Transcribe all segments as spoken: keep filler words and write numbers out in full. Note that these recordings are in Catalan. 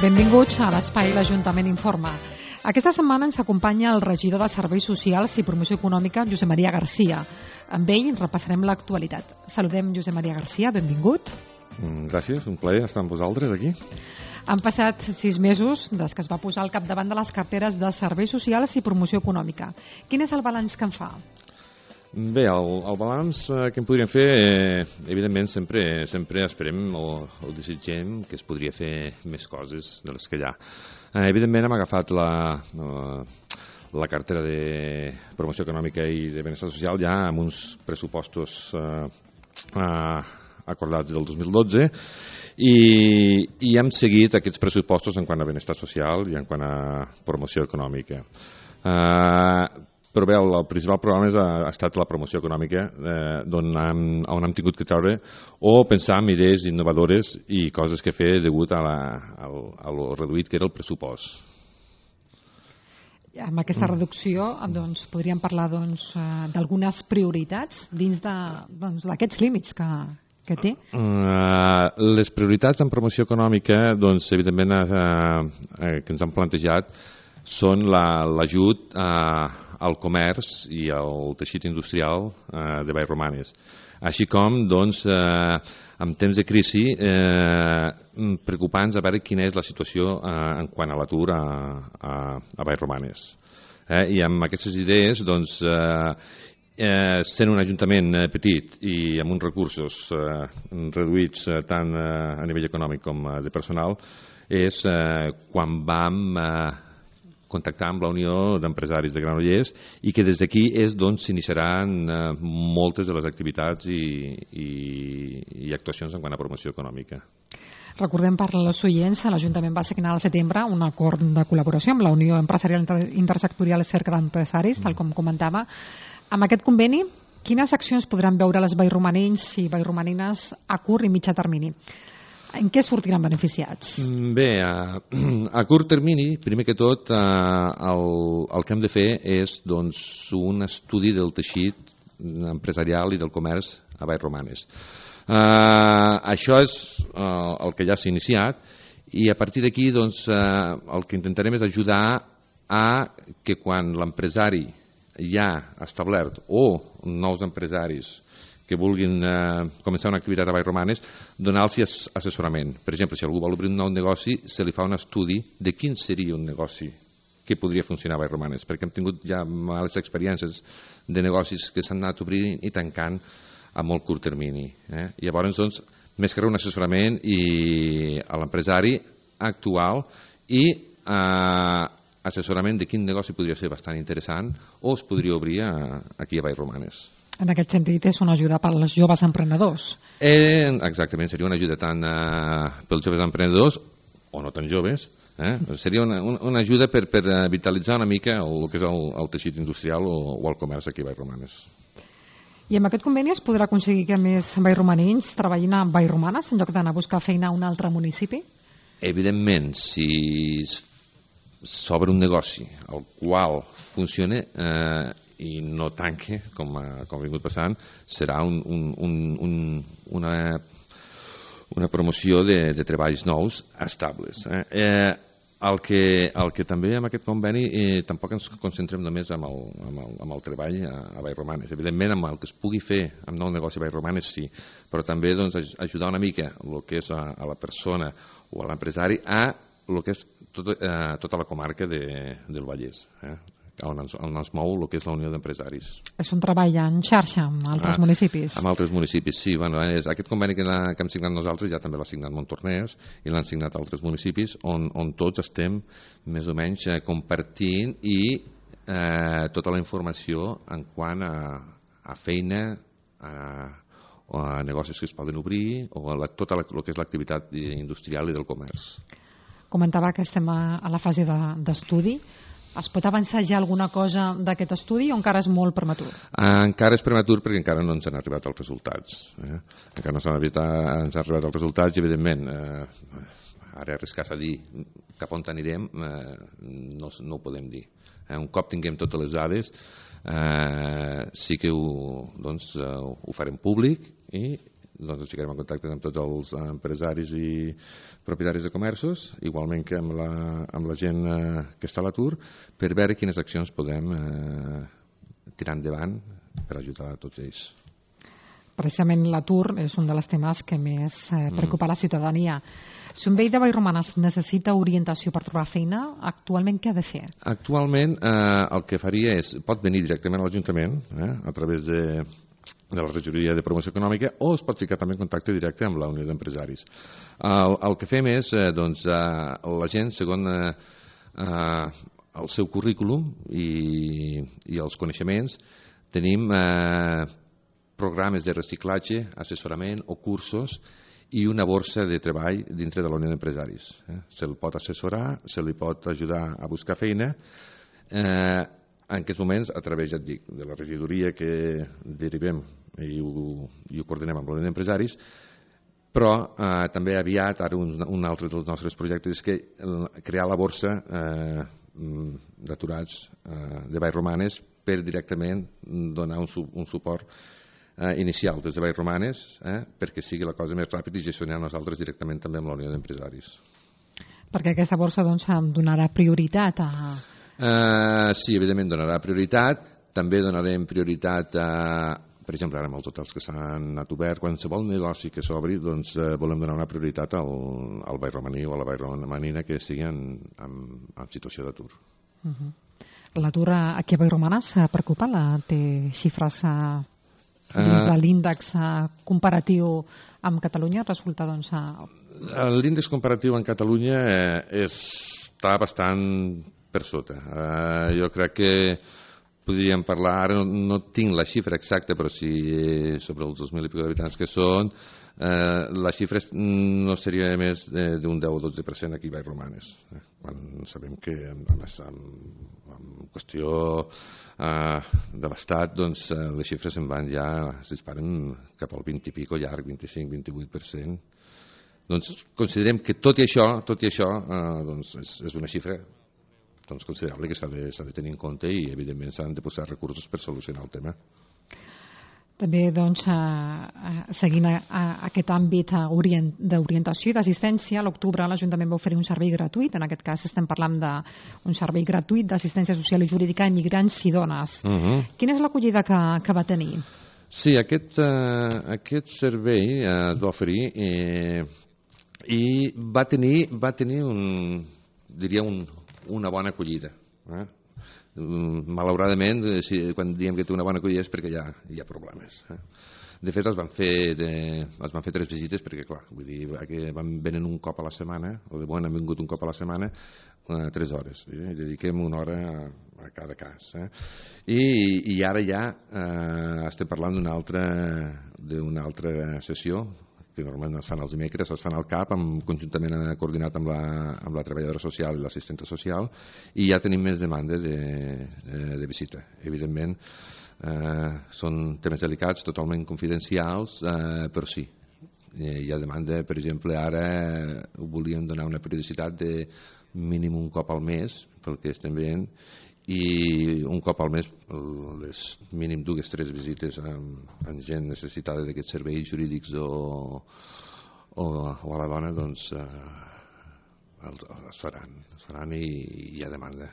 Benvinguts a l'Espai L'Ajuntament Informa. Aquesta setmana ens acompanya el regidor de Serveis Socials i Promoció Econòmica, Josep Maria Garcia. Amb ell repassarem l'actualitat. Saludem Josep Maria Garcia, benvingut. Gràcies, un plaer estar amb vosaltres aquí. Han passat sis mesos des que es va posar al capdavant de les carteres de Serveis Socials i Promoció Econòmica. Quin és el balanç que en fa? Bé, el, el balanç que en podríem fer, eh, evidentment, sempre, sempre esperem o, o desitgem que es podria fer més coses de les que hi ha. Eh, evidentment, hem agafat la, eh, la cartera de Promoció Econòmica i de Benestar Social ja amb uns pressupostos eh, eh, acordats del dos mil dotze i, i hem seguit aquests pressupostos en quant a benestar social i en quant a promoció econòmica. Eh, Però bé, el, el principal programa és, ha, ha estat la promoció econòmica, eh, on, hem, on hem tingut que treure o pensar en idees innovadores i coses que fer degut a, la, a, a lo reduït que era el pressupost. Amb aquesta reducció doncs, podríem parlar doncs, d'algunes prioritats dins d'aquests doncs, límits que, que té? Uh, les prioritats en promoció econòmica, doncs, evidentment, uh, uh, que ens han plantejat són l'ajut la, uh, al comerç i al teixit industrial eh, de Vallromanes. Així com, doncs, eh, en temps de crisi, eh, preocupants a veure quina és la situació eh, en quant a l'atur a, a, a Vallromanes. Eh, I amb aquestes idees, doncs, eh, eh, sent un ajuntament eh, petit i amb uns recursos eh, reduïts eh, tant eh, a nivell econòmic com eh, de personal, és eh, quan vam eh, contactar amb la Unió d'Empresaris de Granollers i que des d'aquí és d'on s'iniciaran eh, moltes de les activitats i, i, i actuacions en quant a promoció econòmica. Recordem per als oients, l'Ajuntament va signar al setembre un acord de col·laboració amb la Unió Empresarial Intersectorial Cerca d'Empresaris, tal com comentava. Amb aquest conveni, quines accions podran veure les vallromanins i vallromanines a curt i mitjà termini? En què sortiran beneficiats? Bé, a, a curt termini, primer que tot, eh, el, el que hem de fer és doncs, un estudi del teixit empresarial i del comerç a Vallromanes. Eh, això és eh, el que ja s'ha iniciat i a partir d'aquí doncs, eh, el que intentarem és ajudar a que quan l'empresari ja establert o nous empresaris que vulguin eh, començar una activitat a Vallromanes, donar-los assessorament. Per exemple, si algú vol obrir un nou negoci, se li fa un estudi de quin seria un negoci que podria funcionar a Vallromanes, perquè hem tingut ja males experiències de negocis que s'han anat obrint i tancant a molt curt termini. Eh? Llavors, doncs, més que un assessorament i a l'empresari actual i eh, assessorament de quin negoci podria ser bastant interessant o es podria obrir a, aquí a Vallromanes. En aquest sentit, és una ajuda per als joves emprenedors. Eh, exactament, seria una ajuda tant eh, pels joves emprenedors, o no tan joves, eh? Seria una, una ajuda per, per vitalitzar una mica el, el que és el, el teixit industrial o, o el comerç aquí a Vallromanes. I amb aquest conveni es podrà aconseguir que més vallromanins treballin a Vallromanes en lloc d'anar a buscar feina a un altre municipi? Evidentment, si s'obre un negoci el qual funciona eh, i no tanque, com ha, com ha vingut passant, serà un, un, un, un, una, una promoció de, de treballs nous estables. Eh? Eh, el, que, el que també amb aquest conveni eh, tampoc ens concentrem només amb el, amb el, amb el treball a, a Vallromanes. Evidentment, amb el que es pugui fer amb nou negoci a Vallromanes, sí, però també doncs, ajudar una mica el que és a, a la persona o a l'empresari a el que és tot, eh, tota la comarca de, del Vallès. Eh? On ens, on ens mou el que és la Unió d'Empresaris. És un treball en xarxa amb altres ah, municipis? Amb altres municipis, sí. Bueno, és, aquest conveni que, la, que hem signat nosaltres ja també l'ha signat Montornès i l'han signat altres municipis on, on tots estem més o menys eh, compartint i eh, tota la informació en quant a, a feina, a, o a negocis que es poden obrir o a la, tota la, el que és l'activitat industrial i del comerç. Comentava que estem a, a la fase d'estudi. De, Es pot avançar ja alguna cosa d'aquest estudi o encara és molt prematur? Encara és prematur perquè encara no ens han arribat els resultats. Eh? Encara no s'han arribat, ens han arribat els resultats i, evidentment, eh, ara arriscar-se a dir cap on anirem eh, no, no ho podem dir. Eh? Un cop tinguem totes les dades, eh, sí que ho, doncs, eh, ho farem públic i doncs ens ficarem en contacte amb tots els empresaris i propietaris de comerços, igualment que amb la, amb la gent eh, que està a l'atur, per veure quines accions podem eh, tirar endavant per ajudar a tots ells. Precisament l'atur és un dels temes que més eh, preocupa mm. la ciutadania. Si un veí de Vallromanes necessita orientació per trobar feina, actualment què ha de fer? Actualment eh, el que faria és, pot venir directament a l'Ajuntament eh, a través de, de la regidoria de promoció econòmica, o es pot ficar també en contacte directe amb la Unió d'Empresaris. El, el que fem és, eh, doncs, eh, la gent, segons eh, eh, el seu currículum i, i els coneixements, tenim eh, programes de reciclatge, assessorament o cursos i una borsa de treball dintre de la Unió d'Empresaris. Eh? Se'l pot assessorar, se li pot ajudar a buscar feina, eh, en aquests moments a través, ja et dic, de la regidoria que derivem i ho, i ho coordinem amb la Unió d'Empresaris, però eh, també aviat, ara un, un altre dels nostres projectes és que crear la borsa eh, d'aturats eh, de Vallromanes per directament donar un, un suport eh, inicial des de Vallromanes eh, perquè sigui la cosa més ràpida i gestionar nosaltres directament també amb la Unió d'Empresaris. Perquè aquesta borsa doncs, donarà prioritat a... Uh, sí, evidentment donarà prioritat. També donarem prioritat a, per exemple, ara amb els hotels que s'han anat obert, qualsevol negoci que s'obri, doncs eh, volem donar una prioritat al, al vallromaní o a la vallromanina que estigui en, en, en situació d'atur. Uh-huh. L'atur aquí a Vallromanes preocupa? La, té xifres a, dins de l'índex comparatiu amb Catalunya? Resulta, doncs, a... L'índex comparatiu en Catalunya eh, està bastant per sota. Eh, jo crec que podríem parlar, ara no, no tinc la xifra exacta, però sí sobre els dos mil i pico d'habitants que són, eh, la xifra no seria més d'un deu o dotze per cent aquí a Vallromanes. Eh, quan sabem que, a més, en, en qüestió eh, de l'Estat, doncs, eh, les xifres se'n van ja, es disparen cap al vint i pico llarg, vint-i-cinc a vint-i-vuit per cent. Doncs considerem que tot i això, tot i això eh, doncs és, és una xifra doncs, considerable que s'ha de, s'ha de tenir en compte i evidentment s'han de posar recursos per solucionar el tema. També doncs, eh, seguint a, a aquest àmbit orient, d'orientació i d'assistència, a l'octubre l'Ajuntament va oferir un servei gratuït, en aquest cas estem parlant d'un servei gratuït d'assistència social i jurídica a immigrants i dones. Uh-huh. Quina és l'acollida que, que va tenir? Sí, aquest, eh, aquest servei eh, es va oferir eh, i va tenir, va tenir un, diria un una bona acollida. Eh? Malauradament, si, quan diem que té una bona acollida és perquè hi ha, hi ha problemes. Eh? De fet, es van fer, de, es van fer tres visites perquè, clar, vull dir, que van venen un cop a la setmana, o de bon han vingut un cop a la setmana, eh, tres hores. Eh? Dediquem una hora a, a cada cas. Eh? I, I ara ja eh, estem parlant d'una altra, d'una altra sessió, que normalment es fan els dimecres, es fan al C A P, amb, conjuntament coordinat amb la, amb la treballadora social i l'assistenta social, i ja tenim més demanda de, de, de visita. Evidentment, eh, són temes delicats, totalment confidencials, eh, però sí. Hi ha demanda, per exemple, ara ho volíem donar una periodicitat de mínim un cop al mes, pel que estem veient, i un cop al mes les mínim dues tres visites amb, amb gent necessitada d'aquests serveis jurídics o, o, o a la dona, doncs eh, els, els faran, els faran i, i hi ha demanda.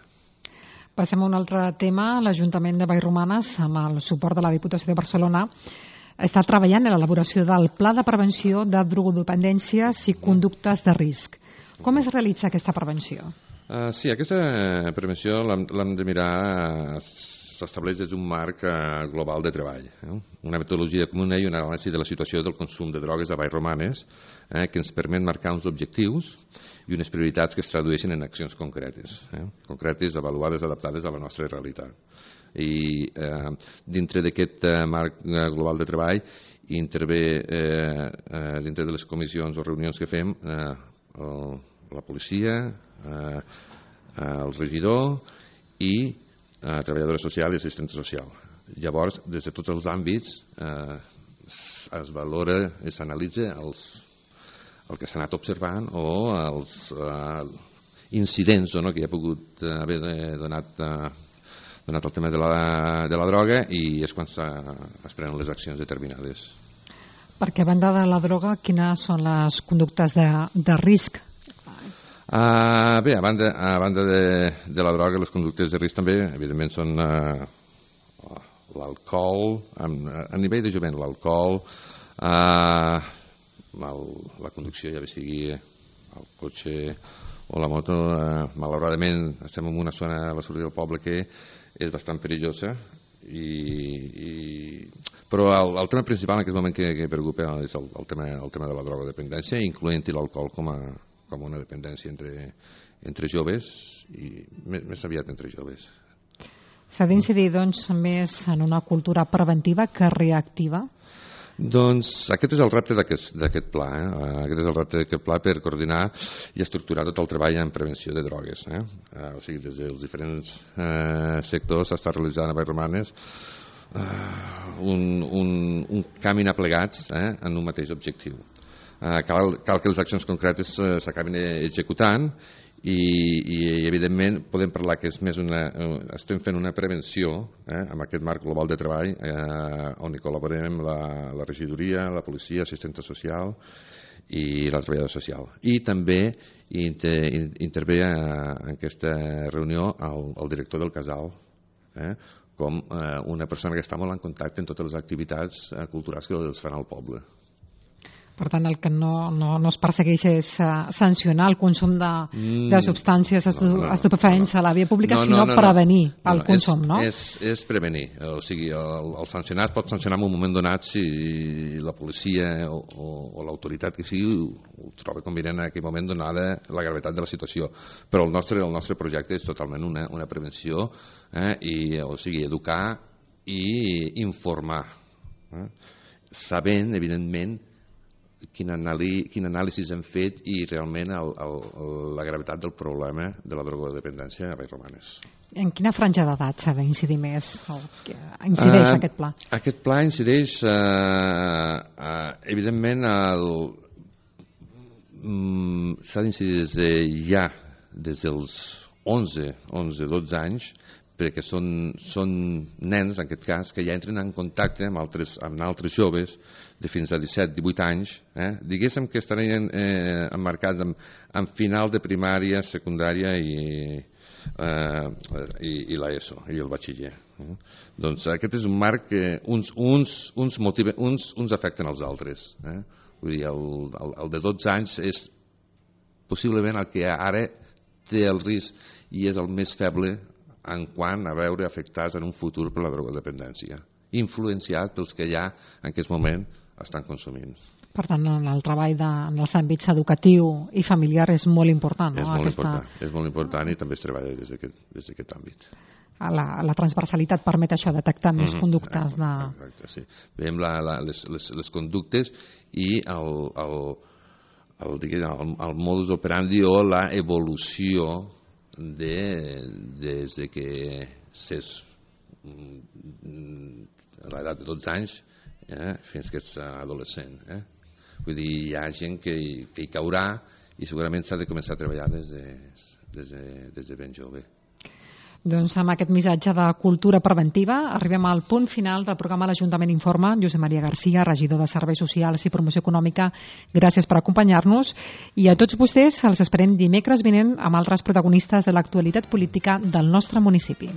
Passem a un altre tema. L'Ajuntament de Vallromanes, amb el suport de la Diputació de Barcelona, està treballant en l'elaboració del Pla de Prevenció de Drogodependències i Conductes de Risc. Com es realitza aquesta prevenció? Uh, sí, aquesta prevenció l'hem de mirar, s'estableix des d'un marc uh, global de treball. Eh? Una metodologia comuna i una anàlisi de la situació del consum de drogues a Vallromanes eh, que ens permet marcar uns objectius i unes prioritats que es tradueixen en accions concretes, eh? concretes, avaluades, adaptades a la nostra realitat. I eh, dintre d'aquest eh, marc eh, global de treball intervé eh, eh, dintre de les comissions o reunions que fem eh, el, la policia, eh, el regidor i eh, treballadora social i assistent social. Llavors, des de tots els àmbits eh, es valora i s'analitza els, el que s'ha anat observant o els eh, incidents o no, que hi ha pogut haver donat, eh, donat el tema de la, de la droga, i és quan es prenen les accions determinades. Perquè a banda de la droga, quines són les conductes de, de risc? Uh, bé, a banda, a banda de, de la droga, les conductes de risc també, evidentment, són uh, l'alcohol, a, a nivell de jovent, l'alcohol, uh, el, la conducció, ja bé sigui el cotxe o la moto. Uh, malauradament, estem en una zona a la sortida del poble que és bastant perillosa, i, i... però el, el tema principal en aquest moment que, que preocupa és el, el, tema, el tema de la drogodependència, incloent-hi l'alcohol com a com una dependència entre, entre joves i més, més aviat entre joves. S'ha d'incidir, doncs, més en una cultura preventiva que reactiva? Doncs aquest és el repte d'aquest pla. Eh? Aquest és el repte d'aquest pla per coordinar i estructurar tot el treball en prevenció de drogues. Eh? Eh, o sigui, des dels diferents eh, sectors s'està realitzant a Vallromanes eh, un, un, un caminar plegats eh, en un mateix objectiu. Uh, cal, cal que les accions concretes uh, s'acabin executant i, i evidentment podem parlar que és més una, uh, estem fent una prevenció eh, amb aquest marc global de treball eh, on hi col·laborem la, la regidoria, la policia, assistenta social i la treballadora social. I també inter, intervé a, en aquesta reunió el, el director del casal eh, com eh, una persona que està molt en contacte en totes les activitats eh, culturals que els fan al poble. Per tant, el que no, no, no es persegueix és uh, sancionar el consum de, mm, de substàncies estu no, no, estupefaents no, no. a la via pública, no, sinó no, no, prevenir no, no, el no, consum, és, no? És, és prevenir. O sigui, el, el sancionat pot sancionar en un moment donat si la policia o, o, o l'autoritat que sigui ho, ho troba convenient en aquell moment donada la gravetat de la situació. Però el nostre, el nostre projecte és totalment una, una prevenció, eh, i, o sigui, educar i informar. Eh? Sabent, evidentment, Quin, anàlisi, quin anàlisi hem fet i realment el, el, la gravetat del problema de la drogodependència a Vallromanes. En quina franja d'edat s'ha d'incidir més? O incideix uh, aquest pla? Aquest pla incideix, uh, uh, evidentment, el, um, s'ha d'incidir des de ja, des dels onze, dotze anys, perquè són, són nens, en aquest cas, que ja entren en contacte amb altres, amb altres joves de fins a disset divuit anys, eh? Diguéssim que estarien eh, emmarcats en, en final de primària, secundària i, eh, i, i l'ESO, i el batxiller. Eh? Doncs aquest és un marc que uns, uns, uns, motiven, uns, uns afecten els altres. Eh? Vull dir, el, el, el de dotze anys és possiblement el que ara té el risc i és el més feble en quant a veure afectats en un futur per la drogodependència, influenciat pels que ja en aquest moment estan consumint. Per tant, en el treball de, en els àmbits educatiu i familiar és molt important, no? És molt, Aquesta... important, és molt important i també es treballa des d'aquest àmbit. La, la transversalitat permet això, detectar més mm-hmm. conductes de... Exacte, sí. Veiem la, la, les, les, les conductes i el, el, el, el, el modus operandi o la evolució de, des de que s'és a l'edat de dotze anys eh, fins que ets adolescent. Eh? Vull dir, hi ha gent que, que hi caurà i segurament s'ha de començar a treballar des de, des de, des de ben jove. Doncs amb aquest missatge de cultura preventiva arribem al punt final del programa L'Ajuntament Informa. Josep Maria Garcia, regidor de Serveis Socials i Promoció Econòmica, gràcies per acompanyar-nos i a tots vostès els esperem dimecres vinent amb altres protagonistes de l'actualitat política del nostre municipi.